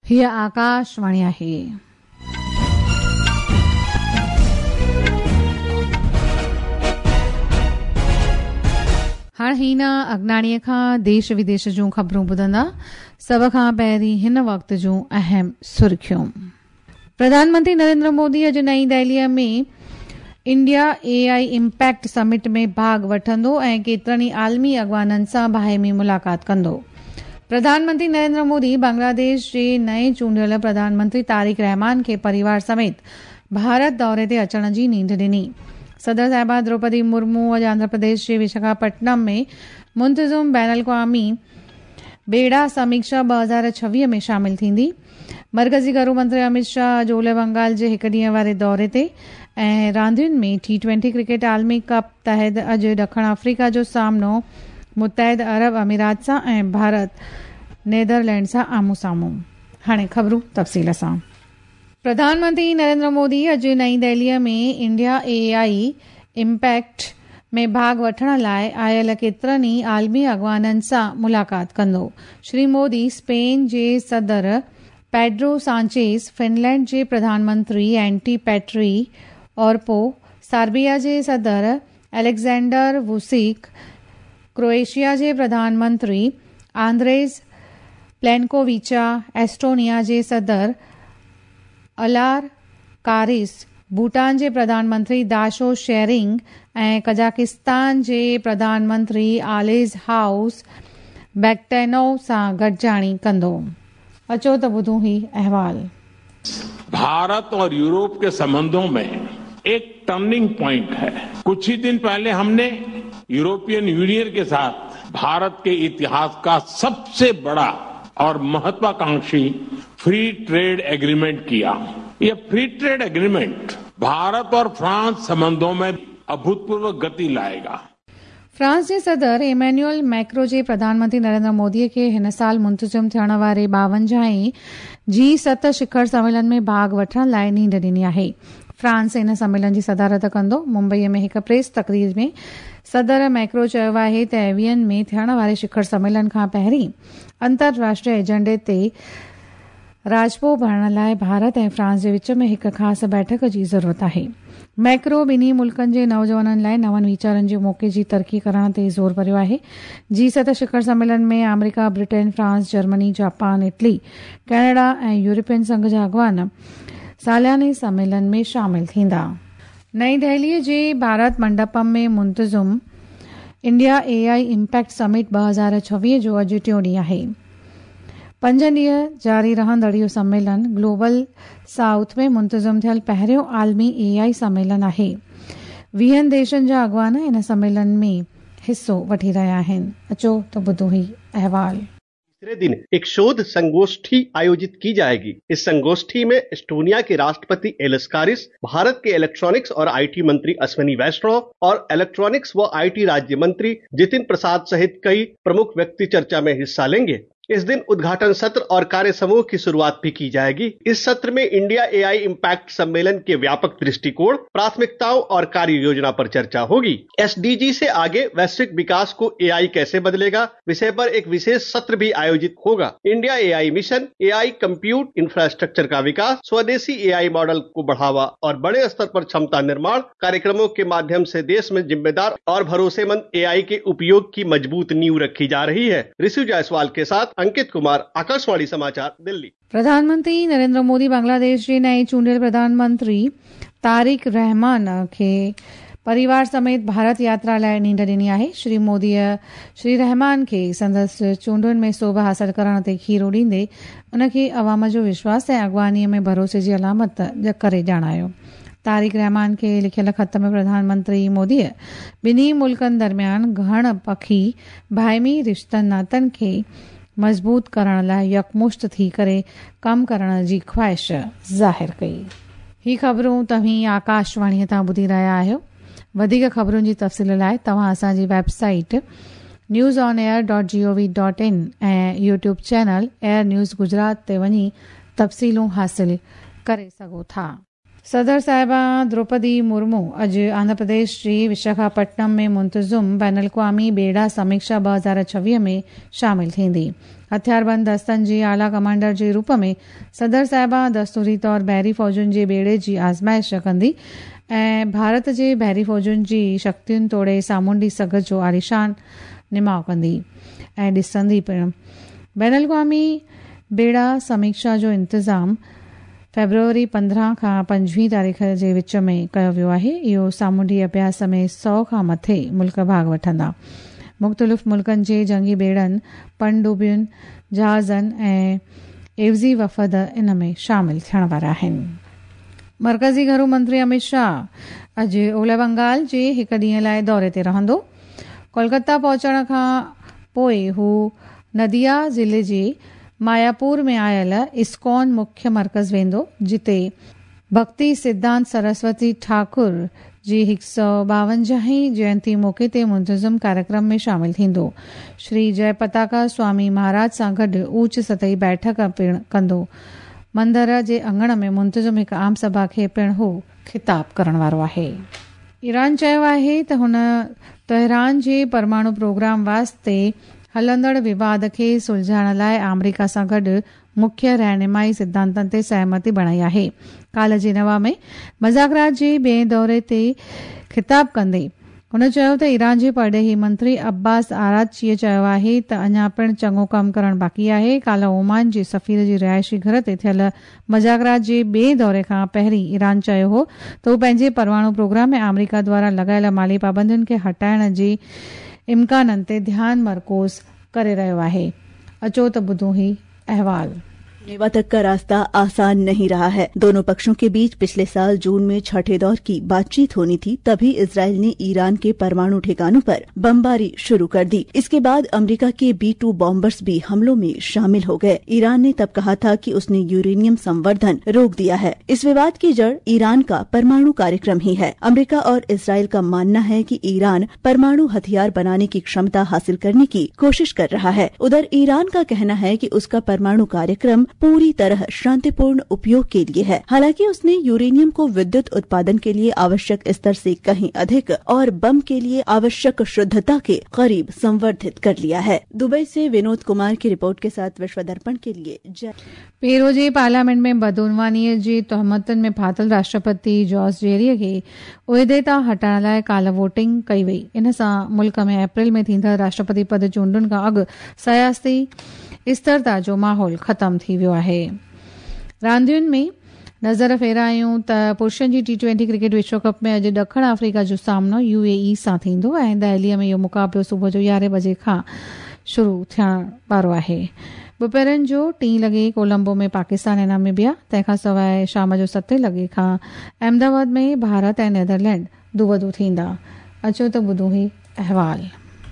هيء آڪاشواڻي آهي. هاڻ هينا اگناڻيء کان ديش وديش جون خبرون ٻڌندا. سڀ کان پهرين هن وقت جون اهم سرخيون. پرڌان منتري نريندر مودي اڄ نئين دهليء ۾ India A I impact summit ۾ ڀاڳ وٺندو ۽ ڪيترن ئي عالمي اڳواڻن سان باهمي ملاقات ڪندو. پرڌان منتري نريندر مودي بنگلاديش جي نئين چونڊيل پرڌان منتري طارق رحمان کي پريوار سميت ڀارت دوري تي اچڻ جي نينڍ ڏني. صدر صاحبه دروپدي مرمو اڄ آنڌرا پرديش جي وشاکاپٽنم ۾ منتظم بين الاقوامي ٻيڙا سميڪشا 2026 ۾ شامل ٿيندي. مرڪزي گهرو منتري اميت شاهه اڄ اولهه بنگال جي هڪ ڏينهن واري دوري تي ۽ راندين ۾ ٽي ٽوئنٽي ڪرڪيٽ عالمي ڪپ تحت اڄ ڏکڻ آفريڪا جو سامنو متحده عرب امارات سان ۽ ڀارت نيدرلينڊ سان آمهون سامهون. هاڻي خبرون تفصيل سان. پرڌان منتري نريندر مودي اڄ نئين دهليء ۾ انڊيا اي آء امپيڪٽ ۾ ڀاڳ وٺڻ لاء آيل ڪيترن ئي عالمي اڳواڻن سان ملاقات ڪندو. شري مودي اسپين جي صدر پيڊرو سانچيز، فنلينڊ جي Pradhan Mantri anti Petrie Orpo, Serbia جي صدر اليگزينڊر ووسيڪ، ڪروئيشيا جي پرڌان منتري آندريز پلينڪوويچ، ايسٽونيا جي صدر الار ڪارس، ڀوٽان جي پرڌان منتري داشو شيرنگ ۽ قزاقستان جي پرڌان منتري آليز هائوس بيڪٽينو سان گڏجاڻي ڪندو. اچو ته ٻڌون هي احوال. भारत और यूरोप के संबंधों में एक टर्निंग पॉइंट है। कुछ ही दिन पहले हमने यूरोपियन यूनियन के साथ भारत के इतिहास का सबसे बड़ा और महत्वाकांक्षी फ्री ट्रेड एग्रीमेंट किया। ये फ्री ट्रेड एग्रीमेंट भारत और फ्रांस संबंधों में अभूतपूर्व गति लाएगा। فرانس جي صدر ايمانوئل ميڪرو جي پرڌان منتري نريندر مودي کي هن سال منتظم ٿيڻ واري ٻاونجاهين جي ست شکر سميلن ۾ ڀاڳ وٺڻ لاء نينڍ ڏني آهي. فرانس ان سميلن جي صدارت ڪندو. ممبئي ۾ هڪ پريس تقرير ۾ صدر ميڪرو چيو آهي ته ايوين ۾ ٿيڻ واري شکر سميلن کان پهرين انترراشٽريه ايجنڊي تي راضپو ڀرڻ لاء ڀارت ۽ فرانس جي وچ ۾ هڪ خاص بيٺڪ جي ضرورت آهي. ميڪرو ٻنهي ملڪن جي نوجوانن لاء نون ويچارن جي موقعي جي ترقي ڪرڻ تي زور ڀريو آهي. جي ست شکر سميلن ۾ آمريڪا، Britain, France, Germany, Japan, Italy, Canada ۽ European Sangh جا اڳواڻ سالياني سميلن ۾ شامل ٿيندا. نئين دهلي جي ڀارت منڊپم ۾ منتظم انڊيا اي آء امپيڪٽ سمٽ 2026 جو اڄ ٽيون ڏينهن آهي. پنج ڏينهن جاري رهندڙ اهو سميلن گلوبل سائوٿ ۾ منتظم ٿيل پهريون عالمي اي آء سميلن آهي. ويهن ديشن جا اڳواڻ ان سميلن ۾ حصو وٺي رهيا آهن. اچو ته ٻڌون هي احوال. तीसरे दिन एक शोध संगोष्ठी आयोजित की जाएगी। इस संगोष्ठी में एस्टोनिया के राष्ट्रपति एलिस कारिस, भारत के इलेक्ट्रॉनिक्स और IT मंत्री अश्विनी वैष्णव और इलेक्ट्रॉनिक्स व IT राज्य मंत्री जितिन प्रसाद सहित कई प्रमुख व्यक्ति चर्चा में हिस्सा लेंगे। इस दिन उद्घाटन सत्र और कार्य समूह की शुरुआत भी की जाएगी। इस सत्र में इंडिया एआई इम्पैक्ट सम्मेलन के व्यापक दृष्टिकोण, प्राथमिकताओं और कार्य योजना पर चर्चा होगी। एसडीजी से आगे वैश्विक विकास को एआई कैसे बदलेगा विषय पर एक विशेष सत्र भी आयोजित होगा। India AI mission, AI compute infrastructure का विकास, स्वदेशी एआई मॉडल को बढ़ावा और बड़े स्तर पर क्षमता निर्माण कार्यक्रमों के माध्यम से देश में जिम्मेदार और भरोसेमंद एआई के उपयोग की मजबूत नींव रखी जा रही है। ऋषि जायसवाल के साथ अंकित कुमार, आकाशवाणी समाचार, दिल्ली। प्रधान मंत्री नरेंद्र मोदी बांग्लादेश जे नئين चूंडियल प्रधान मंत्री तारिक रहमान खे परिवार समेत ڀارت ياترا لاء نينڍ ڏني آهي. شري موديء شري رحمان کي سندس چونڊن ۾ سوڀ حاصل ڪرڻ تي کيرو ڏيندي ان کي عوام جو وشواس ۽ اڳواڻيء ۾ ڀروسي جي علامت ڪري ڄاڻايو. طارق رحمان کي لکيل خط ۾ پرڌان منتري موديء ٻنهي ملڪن درميان گهڻ پکي باهمي رشتن ناتن کي مضبوط ڪرڻ لاء يڪمشت ٿي ڪري ڪم ڪرڻ جي خواهش ظاهر ڪئي. هي خبرون توهين آڪاشواڻيء تان ٻڌي رهيا آهيو. وڌيڪ خبرن جي تفصيل لاء توهان اسان جي website news on air dot G O V dot in ۽ YouTube channel air news Gujarat تي وڃي تفصيلون حاصل ڪري سگهو ٿا. صدر صاحبه دروپدي مرمو اڄ آنڌرا پرديش جي وشاکاپٽنم ۾ منتظم بين الاقوامي ٻيڙا سميڪشا 2026 ۾ شامل ٿيندي. هٿياربند دستن جي اعليٰ ڪمانڊر جي روپ ۾ صدر صاحبه دستوري طور بحري فوجن جي ٻيڙي جي آزمائش ڪندي ۽ ڀارت جي بحري فوجن جي شڪتين توڙي سامونڊي سگهه جو عاليشان نماء ڪندي ۽ ڏسندي پڻ. بين الاقوامي ٻيڙا سميڪشا جو انتظام فيبروري 15 کان 25 تاريخ جي وچ ۾ ڪيو ويو آهي. اهو سامونڊي اڀياس ۾ 100 کان مٿي ملڪ ڀاڳ وٺندا. مختلف ملڪن جي جنگي ٻيڙن، پڻ ڊٻين، جهازن ۽ عيوضي وفد ان ۾ شامل ٿيڻ وارا آهن. مرڪزي گهرو منتري امت شاهه اڄ اولهه بنگال جي هڪ ڏينهن لاءِ دوري تي رهندو. ڪولڪتا پهچڻ کان پوءِ هو نديا ضلعي جي ماياپور ۾ آيل اسڪان مکيه مرڪز ويندو، جتي ڀڪتي سڌانت سرسوتي ٺاڪر جي 152هين جينتي موقعي تي منتظم ڪاريڪرم ۾ شامل ٿيندو. شري جئي پتاڪا سوامي مهاراج سان گڏ اوچ سطحي بيٺڪ پڻ ڪندو. مندر جي اڱڻ ۾ منتظم هڪ عام سڀا کي پڻ هو خطاب ڪرڻ وارو آهي. ايران چيو آهي ته هن تهران جي پرماڻو پروگرام واسطي هلندڙ وواد کي سلجهائڻ لاءِ آمريڪا سان گڏ مکيه رهنمائي سڌانتن تي سهمتي بڻائي آهي. ڪالهه جنيوا ۾ مذاڪرات جي ٻئي دوري تي خطاب ڪندي هن چيو ته ايران جي پرڏيهي منتري عباس آراچيءَ چيو آهي ته اڃا پڻ چڱو ڪم ڪرڻ باقي آهي. ڪالهه اومان جي سفير جي رهائشي گهر تي ٿيل مذاڪرات جي ٻئي دوري کان پهرين ايران چيو هو ته هو پنهنجي پرماڻو پروگرام ۾ آمريڪا دواران لڳايل مالي پابندين کي هٽائڻ جي امڪانن تي ڌيان مرڪوز ڪري رهيو آهي. اچو ته ٻڌون هي احوال. जिनेवा तक का रास्ता आसान नहीं रहा है। दोनों पक्षों के बीच पिछले साल जून में छठे दौर की बातचीत होनी थी, तभी इसराइल ने ईरान के परमाणु ठिकानों पर बमबारी शुरू कर दी। इसके बाद अमेरिका के B-2 bombers भी हमलों में शामिल हो गए। ईरान ने तब कहा था कि उसने यूरेनियम संवर्धन रोक दिया है। इस विवाद की जड़ ईरान का परमाणु कार्यक्रम ही है। अमेरिका और इसराइल का मानना है कि ईरान परमाणु हथियार बनाने की क्षमता हासिल करने की कोशिश कर रहा है। उधर ईरान का कहना है कि उसका परमाणु कार्यक्रम पूरी तरह शांतिपूर्ण उपयोग के लिए है। हालांकि उसने यूरेनियम को विद्युत उत्पादन के लिए आवश्यक स्तर से कहीं अधिक और बम के लिए आवश्यक शुद्धता के करीब संवर्धित कर लिया है। दुबई से विनोद कुमार की रिपोर्ट के साथ विश्व दर्पण के लिए जय। पेरू जे पार्लियामेंट में बदउनवानीअ जी तोहमतुनि में फाथिल राष्ट्रपति जॉस जेरीअ खे उहिदे तां हटाइण लाइ काल्ह वोटिंग कई वई। इन सां मुल्क में अप्रैल में थींदड़ राष्ट्रपति पद चूंडुनि खां अॻु सियासी स्थिरता जो माहौल ख़तमु थी वियो आहे। रांदियुनि में नज़र फेरायूं त पुरुषनि जी टी20 क्रिकेट विश्व कप में अॼु ॾखिण आफ़्रीका जो सामनो यूएई सां थींदो ऐं दिल्लीअ में इहो मुक़ाबिलो सुबुह जो 11 बजे खां शुरू थियण वारो आहे। ॿुपहरनि जो 3 लॻे कोलंबो में पाकिस्तान ऐं नामीबिया, तंहिंखां सवाइ शाम जो 7 लॻे खां अहमदाबाद में भारत ऐं नेदरलैंड दूबदू थींदा। अचो त ॿुधूं ही अहवाल।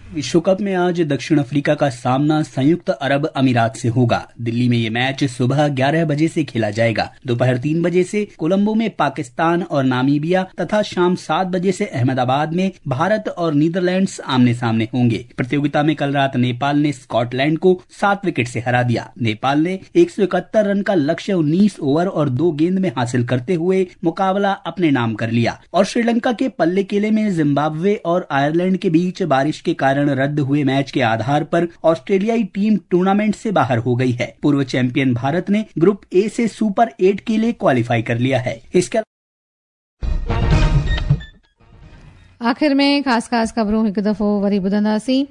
विश्व कप में आज दक्षिण अफ्रीका का सामना संयुक्त अरब अमीरात से होगा। दिल्ली में ये मैच सुबह 11 बजे से खेला जाएगा। दोपहर 3 बजे से कोलंबो में पाकिस्तान और नामीबिया तथा शाम 7 बजे से अहमदाबाद में भारत और नीदरलैंड्स आमने सामने होंगे। प्रतियोगिता में कल रात नेपाल ने स्कॉटलैंड को 7 विकेट से हरा दिया। नेपाल ने 171 रन का लक्ष्य 19 ओवर और 2 गेंद में हासिल करते हुए मुकाबला अपने नाम कर लिया। और श्रीलंका के पल्लेकेले में जिम्बाब्वे और आयरलैंड के बीच बारिश के कारण रद्द हुए मैच के आधार पर ऑस्ट्रेलियाई टीम टूर्नामेंट से बाहर हो गई है। पूर्व चैंपियन भारत ने ग्रुप ए से सुपर 8 के लिए क्वालिफाई कर लिया है। इसके आख़िर में ख़ासि ख़ासि ख़बरूं हिकु दफ़ो वरी ॿुधंदासीं।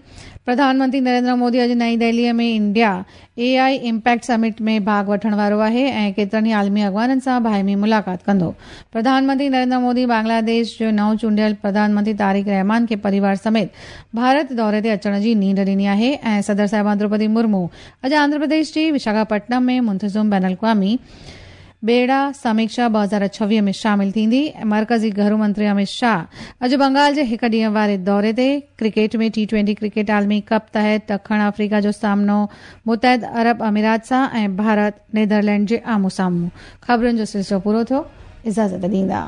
प्रधानमंत्री नरेंद्र मोदी अॼु नई दिल्लीअ में इंडिया एआई इम्पैक्ट समिट में भाॻ वठण वारो आहे ऐं केतिरनि ई आलमी अॻवाननि सां बाहिमी मुलाक़ात कंदो। प्रधानमंत्री नरेंद्र मोदी बांग्लादेश जो नओं चूंडियल प्रधानमंत्री तारिक रहमान खे परिवार समेत भारत दौरे ते अचण जी नींड ॾिनी आहे ऐं सदर साहिबा द्रौपदी मुर्मू अॼु आंध्र प्रदेश जे विशाखापट्टनम में मुंतज़िम बैन अल-अक़वामी बेड़ा समीक्षा 2026 में शामिल थींदी। मर्कज़ी घरू मंत्री अमित शाह अॼु बंगाल जे हिकु ॾींहं वारे दौरे ते। क्रिकेट में टी20 क्रिकेट आलमी कप तहत ॾखिण आफ़्रीका जो सामनो मुतहद अरब अमीरात सां ऐं भारत नेदरलैंड जे आम्हूं साम्हूं। ख़बरुनि जो सिलसिलो पूरो थियो। इजाज़त ॾींदा।